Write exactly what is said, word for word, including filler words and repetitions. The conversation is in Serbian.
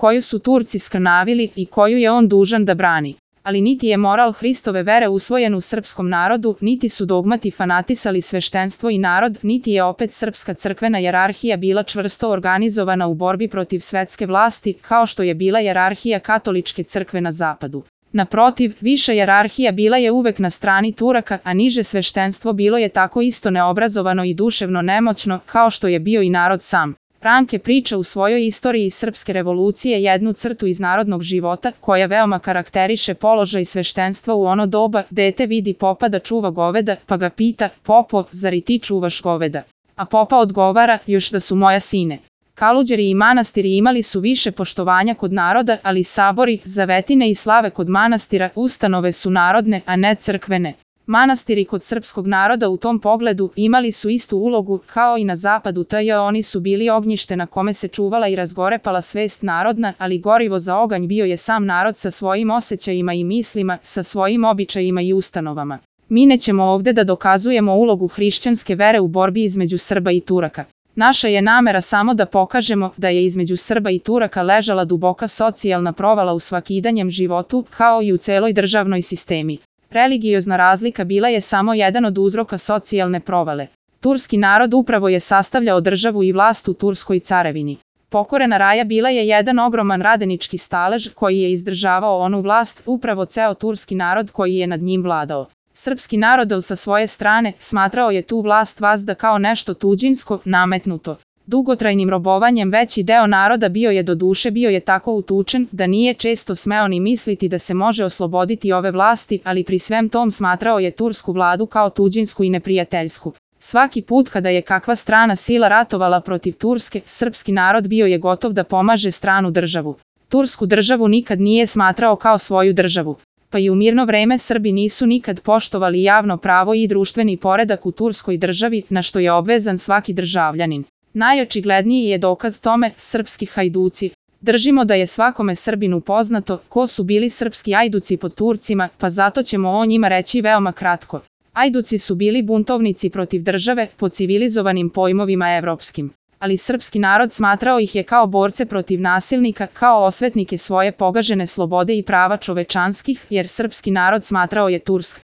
koju su Turci skrnavili i koju je on dužan da brani. Ali niti je moral Hristove vere usvojen u srpskom narodu, niti su dogmati fanatisali sveštenstvo i narod, niti je opet srpska crkvena jerarhija bila čvrsto organizovana u borbi protiv svetske vlasti, kao što je bila jerarhija katoličke crkve na zapadu. Naprotiv, viša jerarhija bila je uvek na strani Turaka, a niže sveštenstvo bilo je tako isto neobrazovano i duševno nemoćno, kao što je bio i narod sam. Ranke priča u svojoj istoriji srpske revolucije jednu crtu iz narodnog života, koja veoma karakteriše položaj sveštenstva u ono doba. Dete vidi popa da čuva goveda, pa ga pita: "Popo, zar i ti čuvaš goveda?" A popa odgovara: "Još da su moja sine." Kaluđeri i manastiri imali su više poštovanja kod naroda, ali sabori, zavetine i slave kod manastira, ustanove su narodne, a ne crkvene. Manastiri kod srpskog naroda u tom pogledu imali su istu ulogu kao i na zapadu, tj. oni su bili ognjište na kome se čuvala i razgorepala svest narodna, ali gorivo za oganj bio je sam narod sa svojim osjećajima i mislima, sa svojim običajima i ustanovama. Mi nećemo ovde da dokazujemo ulogu hrišćanske vere u borbi između Srba i Turaka. Naša je namera samo da pokažemo da je između Srba i Turaka ležala duboka socijalna provala u svakidanjem životu, kao i u celoj državnoj sistemi. Religiozna razlika bila je samo jedan od uzroka socijalne provale. Turski narod upravo je sastavljao državu i vlast u Turskoj carevini. Pokorena raja bila je jedan ogroman radenički stalež koji je izdržavao onu vlast, upravo ceo turski narod koji je nad njim vladao. Srpski narod sa svoje strane smatrao je tu vlast vazda kao nešto tuđinsko, nametnuto. Dugotrajnim robovanjem veći deo naroda bio je do duše bio je tako utučen da nije često smeo ni misliti da se može osloboditi ove vlasti, ali pri svem tom smatrao je tursku vladu kao tuđinsku i neprijateljsku. Svaki put kada je kakva strana sila ratovala protiv Turske, srpski narod bio je gotov da pomaže stranu državu. Tursku državu nikad nije smatrao kao svoju državu. Pa i u mirno vreme Srbi nisu nikad poštovali javno pravo i društveni poredak u turskoj državi, na što je obvezan svaki državljanin. Najočigledniji je dokaz tome srpski hajduci. Držimo da je svakome Srbinu poznato ko su bili srpski ajduci pod Turcima, pa zato ćemo o njima reći veoma kratko. Ajduci su bili buntovnici protiv države po civilizovanim pojmovima evropskim. Ali srpski narod smatrao ih je kao borce protiv nasilnika, kao osvetnike svoje pogažene slobode i prava čovečanskih, jer srpski narod smatrao je Tursk